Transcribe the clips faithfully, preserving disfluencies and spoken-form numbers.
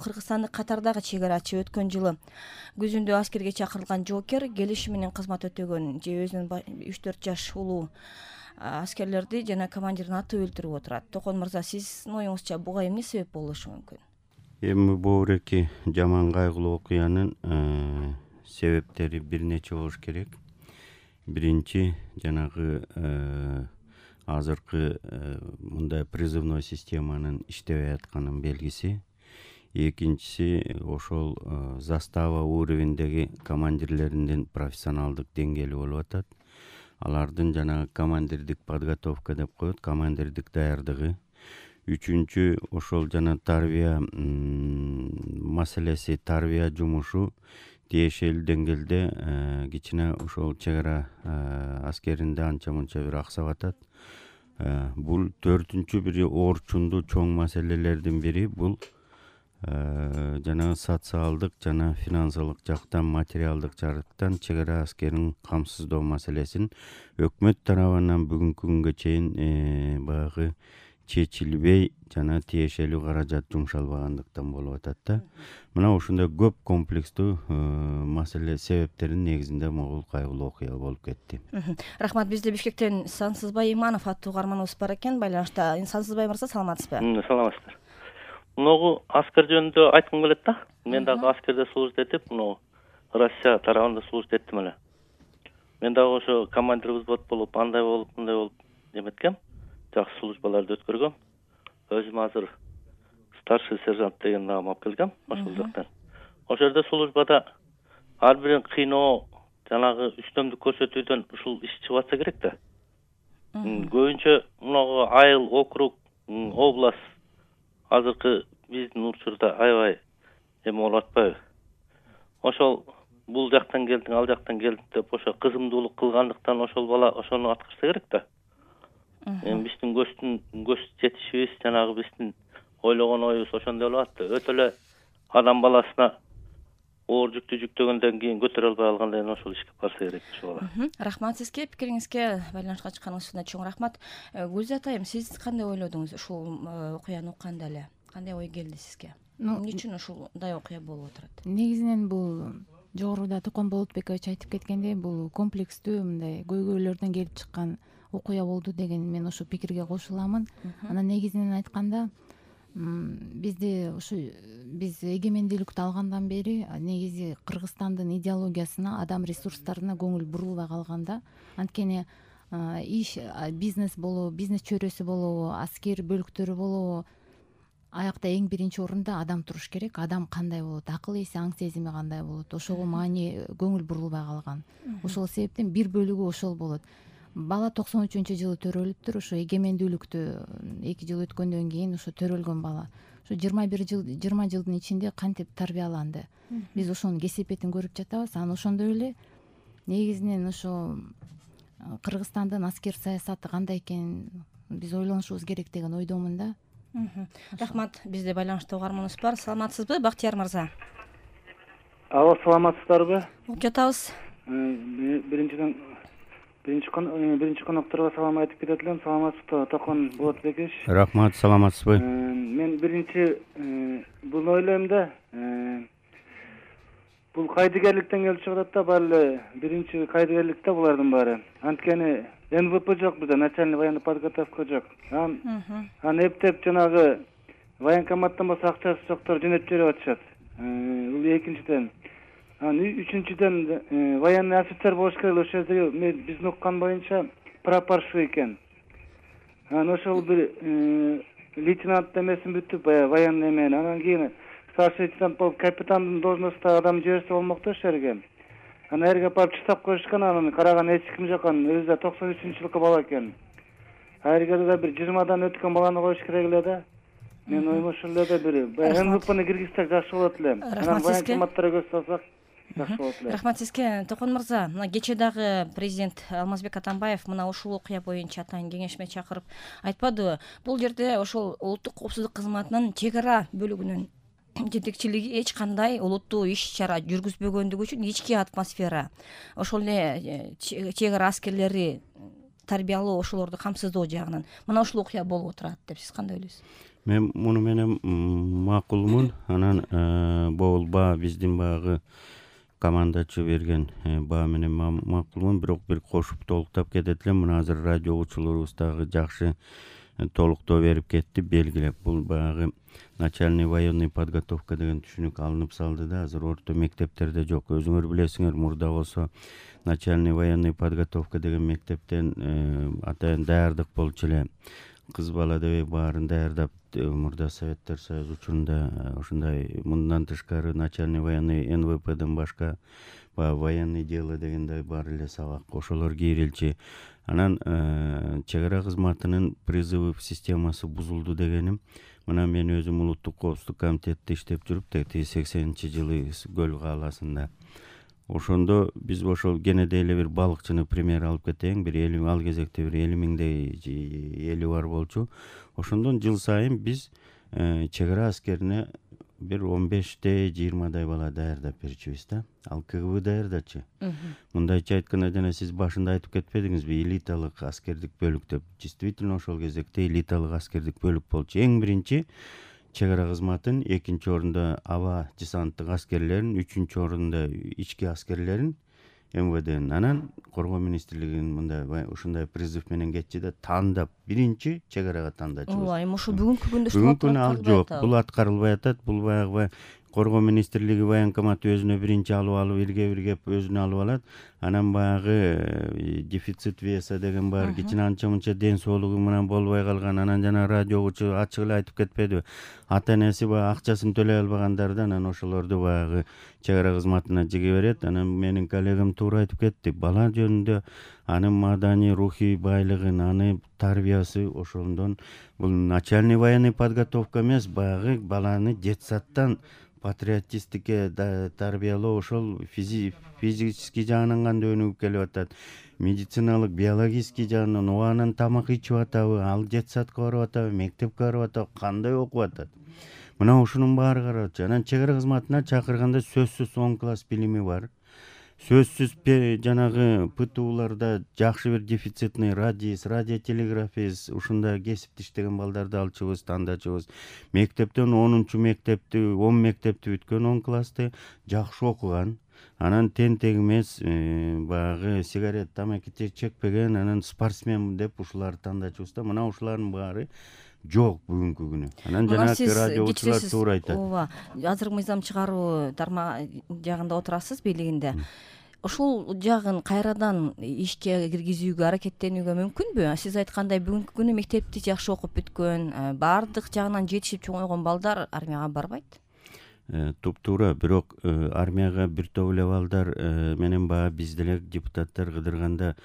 кыргызстандык катардагы чек арачы өткөн жылы күзүндө аскерге чакырылган жоокер келишим менен кызмат өтөгөн же өзүнүн үч төрт жаш улуу аскерлерди жана командирин атып өлтүрүп отурат. Токон мырза, сиздин оюңузча буга эмне себеп болушу мүмкүн? Эми бул эки жаман кайгылуу окуянын себептери бир нече болуш керек. Биринчи, жанагы азыркы мындай призывной системанын иштебей атканын белгиси. Экинчиси, ошол застава уровендеги командирлеринин профессионалдык деңгээли болуп атат. Алардын жанагы командирдик подготовка деп коет, командирдик даярдыгы. Үчүнчү, ошол жана тарбия маселеси, тарбия жумушу тиешелүү деңгээлде кичине ошол чек ара аскеринде анча мынча бир аксап атат. Бул төртүнчү бир орчундуу чоң маселелердин бири бул жанагы социалдык жана финансылык жактан, материалдык жактан чек ара аскерин камсыздоо маселесин өкмөт тарабынан бүгүнкү күнгө чейин баягы чечилбей жана тиешелүү каражат жумшалбагандыктан болуп атат да. Мына ошондой көп комплекстүү маселе себептердин негизинде могул кайгылуу окуя болуп кетти. Рахмат. Бизде Бишкектен Сансызбай Иманов аттуу угарманыбыз бар экен байланышта. Сансызбай мырза, саламатсызбы? Саламатсыздар. Мынагу аскер жөнүндө айткым келет да. Мен дагы аскерде служить этип, мына Россия тарабында служить эттим эле. Мен дагы ошо командир взвод болуп, андай болуп, мындай болуп эметкем. Жакшы службаларды өткөргөм. Өзүм азыр старший сержант деген наам алып келгем ошол жактан. Ошол жерде службада ар бирин кыйноо, жанагы үстөмдүк көрсөтүүдөн ушул иш чыгып атса керек да. Көбүнчө мынагу айыл, округ, область азыркы биздин учурда аябай эме болуп атпайбы? Ошол бул жактан келдиң, ал жактан келдиң деп ошо кызымдуулук кылгандыктан ошол бала ошону аткарса керек да. Эми биздин көздүн көз жетишибиз, жанагы биздин ойлогон оюбуз ошондой болуп атты. Өтө эле адам баласына оор жүктү жүктөгөндөн кийин көтөрө албай калгандан кийин ошол ишке барса керек ошол бала. Рахмат сизге, пикириңизге, байланышка чыкканыңыз үчүн чоң рахмат. Гүлзат айым, сиз кандай ойлодуңуз ушул окуяны укканда эле? Кандай ой келди сизге? Эмне үчүн ушундай окуя болуп отурат? Негизинен бул жогоруда Токон Болотбекович айтып кеткендей, бул комплекстүү мындай көйгөйлөрдөн келип чыккан окуя болду деген мен ошол пикирге кошуламын. Анан негизинен айтканда, бизде ушу биз эгемендүүлүктү алгандан бери негизи Кыргызстандын идеологиясына, адам ресурстарына көңүл бурулбай калганда, анткени иш, бизнес болобу, бизнес чөйрөсү болобу, аскер бөлүктөрү болобу, аякта эң биринчи орунда адам туруш керек. Адам кандай болот, акыл эси, аң сезими кандай болот, ошого маани көңүл бурулбай калган. Ошол себептен бир бөлүгү ошол болот. Бала токсон үчүнчү жылы төрөлүптүр. Ошо эгемендүүлүктү эки жыл өткөндөн кийин ошо төрөлгөн бала. Ошо жыйырма бир жыл, жыйырма жылдын ичинде кантип тарбияланды. Биз ошонун кесепетин көрүп жатабыз. Анан ошондой эле негизинен ошо Кыргызстандын аскер саясаты кандай экенин биз ойлонушубуз керек деген ойдомун да. Рахмат. Бизде байланышта угарманыбыз бар. Саламатсызбы, Бактияр мырза? Алло, саламатсыздарбы? Угуп жатабыз. Биринчиден биринчи биринчи конокторго салам айтып кетет элем. Саламатсызбы, Токон Болотбекович? Рахмат, саламатсызбы? Мен биринчи буну ойлойм да, бул кайдыгерликтен келип чыгып атат да, баары эле биринчи кайдыгерлик да булардын баары. Анткени эн вэ пэ жок бизде, начальный военный подготовка жок. Анан эптеп жанагы военкоматтан болсо акчасы жоктор жөнөтүп жиберип атышат. Бул экинчиден. Анан үчүнчүдөн военный офицер болуш керек. Ошол жерде биздин уккан боюнча прапорщик экен. Анан ошол бир лейтенант эмесин бүтүп, баягы военный эмен. Анан кийин старший лейтенант болуп капитандын должностуна адам жиберсе болмок да ошол жерге. Анан эрге барып чыктап коюшкан, анан караган эч ким жок. Анан өзү да токсон үчүнчү жылкы бала экен. Айрга да бир жыйырмадан өткөн баланы коюш керек эле да. Мен оюм ошол эле да бир эн вэ пэни киргизсек жакшы болот эле. Анан военкоматтарга көз салсак жакшы болот эле. Рахмат сизге. Токон мырза, мына кечээ дагы президент Алмазбек Атамбаев мына ушул окуя боюнча атайын кеңешме чакырып айтпадыбы? Бул жерде ошол улуттук коопсуздук кызматынын чек ара бөлүгүнүн жетекчилиги эч кандай олуттуу иш чара жүргүзбөгөндүгү үчүн ички атмосфера, ошол эле чек ара аскерлери тарбиялоо, ошолорду камсыздоо жагынан мына ушул окуя болуп отурат деп сиз кандай ойлойсуз? Мен муну менен макулмун. Анан бул баа биздин баягы командачы берген баа менен макулмун, бирок бир кошуп толуктап кетет элем. Мына азыр радио угуучуларыбыз дагы жакшы толуктоо берип кетти, белгилеп. Бул баягы начальный военный подготовка деген түшүнүк алынып салды да, азыр орто мектептерде жок. Өзүңөр билесиңер, мурда болсо начальный военный подготовка деген мектептен атайын даярдык болчу эле. Кыз бала дебей баарын даярдап, мурда Советтер Союзу учурунда ушундай мындан тышкары начальный военный эн вэ пэден башка баягы военный дело дегендей бар эле сабак, ошолор кийрилчү. Анан чек ара кызматынын призыв системасы бузулду дегеним. Мына мен өзүм улуттук коопсуздук комитетте иштеп жүрүп, тиги сексенинчи жылы Көл кааласында. Ошондо биз ошол кенеде эле бир балыкчыны пример алып кетейин. Бир элүү ал кезекте бир элүү миңдей эли бар болчу. Ошондон жыл сайын биз чек ара аскерине бир он беште жыйырмадай бала даярдап берчүбүз да. Ал ка гэ бэ даярдачы. Мындайча айтканда, жана сиз башында айтып кетпедиңизби, элиталык аскердик бөлүк деп. Действительно ошол кезекте элиталык аскердик бөлүк болчу. Эң биринчи чек ара кызматын, экинчи орунда аба десанттык аскерлерин, үчүнчү орунда ички аскерлерин эм вэ ден. Анан коргоо министрлигинин мындай ушундай призыв менен кетчи да, тандап биринчи чек арага тандачыбыз. Ооба, эми ошо бүгүнкү күндө Бүгүнкү күнү ал жок, бул аткарылбай атат. Бул баягы коргоо министрлиги военкомат өзүнө биринчи алып алып, ирге-бирге өзүнө алып алат. Анан баягы дефицит веса деген бар, кичине анча-мынча ден соолугу менен болбой калган. Анан жана радио угуучу ачык эле айтып кетпедиби, ата-энеси баягы акчасын төлөй албагандарды анан ошолорду баягы чек ара кызматына жиге берет. Анан менин коллегам туура айтып кетти. Бала жөнүндө анын маданий, рухий байлыгын, аны тарбиясы ошондон бул начальный военный подготовка эмес, баягы баланы детсадтан патриотистикке тарбиялоо, ошол физический жагынан кандай өнүгүп келип атат, медициналык, биологический жагынан убагынан тамак ичип атабы, ал детсадка барып атабы, мектепке барып атабы, кандай окуп атат. Мына ушунун баары каралчу. Анан чек ара кызматына чакырганда сөзсүз он класс билими бар. Сөзсүз жанагы пэ тэ уларда жакшы бир дефицитный радист, радиотелеграфист, ушундай кесипти иштеген балдарды алчубыз, тандачубыз. Мектептен онунчу мектепти, он мектепти бүткөн, он классты жакшы окуган. Анан тентек эмес, баягы сигарет, тамаки чекпеген, анан спортсмен деп ушуларды тандачубыз да. Мына ушулардын баары жок бүгүнкү күнү. Анан жанагы радиочулар туура айтат. Ооба, азыркы мыйзам чыгаруу тармак жагында отурасыз, бийлигинде. Ошол жагын кайрадан ишке киргизүүгө аракеттенүүгө мүмкүнбү? Сиз айткандай бүгүнкү күнү мектепти жакшы окуп бүткөн, баардык жагынан жетишип чоңойгон балдар армияга барбайт. Туп-туура, бирок армияга бир топ эле балдар менен баягы биз деле депутаттар кыдырганда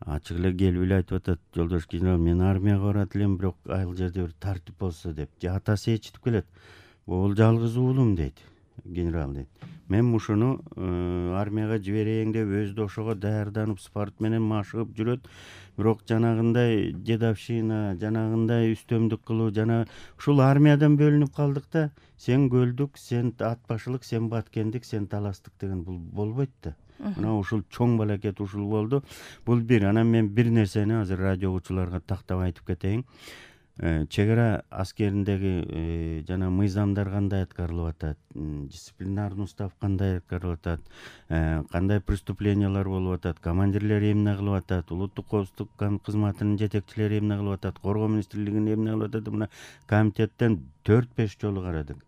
ачык эле келип эле айтып атат: жолдош генерал, мен армияга барат элем, бирок ал жерде бир тартип болсо деп. Же атасы ээрчитип келет. Бул жалгыз уулум дейт, генерал дейт. Мен ушуну армияга жиберейин деп өзү да ошого даярданып, спорт менен машыгып жүрөт. Бирок жанагындай дедовщина, жанагындай үстөмдүк кылуу, жана ушул армиядан бөлүнүп калдык да, сен көлдүк, сен ат башылык, сен баткендик, сен таластык деген бул болбойт да. Мына ушул чоң балакет ушул болду. Бул бир. Анан мен бир нерсени азыр радио угуучуларга тактап айтып кетейин. Чек ара аскериндеги жана мыйзамдар кандай аткарылып атат, дисциплинарный устав кандай аткарылып атат, кандай преступлениялар болуп атат, командирлер эмне кылып атат, улуттук коопсуздук кызматынын жетекчилери эмне кылып атат, коргоо министрлигинин эмне кылып атат, мына комитеттен төрт беш жолу карадык.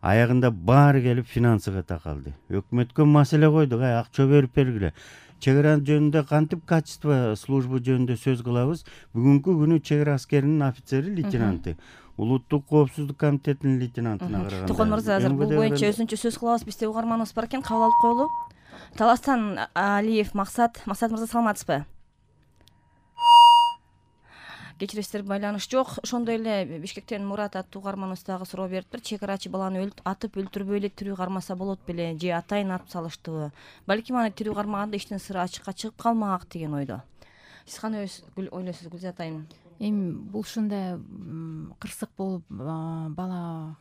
Аягында баары келип финансыга такалды. Өкмөткө маселе койдук, ай акча берип бергиле. Чек ара жөнүндө кантип качество службы жөнүндө сөз кылабыз? Бүгүнкү күнү чек ара аскеринин офицери, лейтенанты, улуттук коопсуздук комитетинин лейтенантына караганда. Токон мырза, азыр бул боюнча өзүнчө сөз кылабыз. Бизде угарманыбыз бар экен, кабыл алып коелу. Таластан Алиев Максат. Максат мырза, саламатсызбы? Кечиресиздер, байланыш жок. Ошондой эле Бишкектен Мурат аттуу угарманыбыз дагы суроо бериптир. Чек арачы баланы атып өлтүрбөй эле тирүү кармаса болот беле, же атайын атып салыштыбы? Балким аны тирүү кармаганда иштин сыры ачыкка чыгып калмак деген ойдо. Сиз кандай ойлойсуз, Гүлзат айым? Эми бул ушундай кырсык болуп бала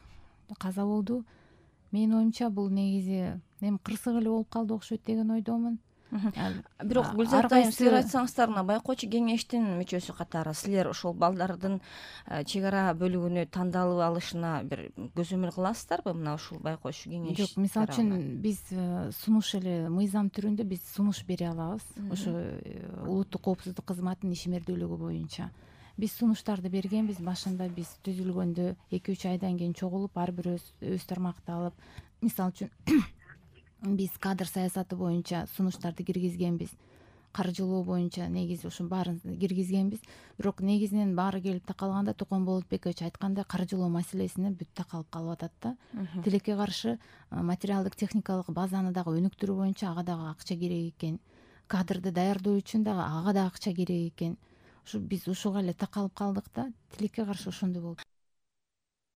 каза болду. Менин оюмча бул негизи эми кырсык эле болуп калды окшойт деген ойдомун. бирок Гүлзат айым, силер айтсаңыздар, мына байкоочу кеңештин мүчөсү катары силер ошол балдардын чек ара бөлүгүнө тандалып алышына бир көзөмөл кыласыздарбы мына ушул байкоочу кеңеш? Жок, мисалы үчүн биз сунуш эле мыйзам түрүндө биз сунуш бере алабыз ошо улуттук коопсуздук кызматынын ишмердүүлүгү боюнча. Биз сунуштарды бергенбиз. Башында биз түзүлгөндө эки үч айдан кийин чогулуп ар бир өз тармакты алып, мисалы үчүн биз кадр саясаты боюнча сунуштарды киргизгенбиз, каржылоо боюнча негизи ошо баарын киргизгенбиз. Бирок негизинен баары келип такалганда Токон Болотбекович айткандай каржылоо маселесине бүт такалып калып атат да. Тилекке каршы материалдык техникалык базаны дагы өнүктүрүү боюнча ага дагы акча керек экен. Кадрды даярдоо үчүн дагы ага да акча керек экен. Ушу биз ушуга эле такалып калдык да, тилекке каршы ошондой болуп.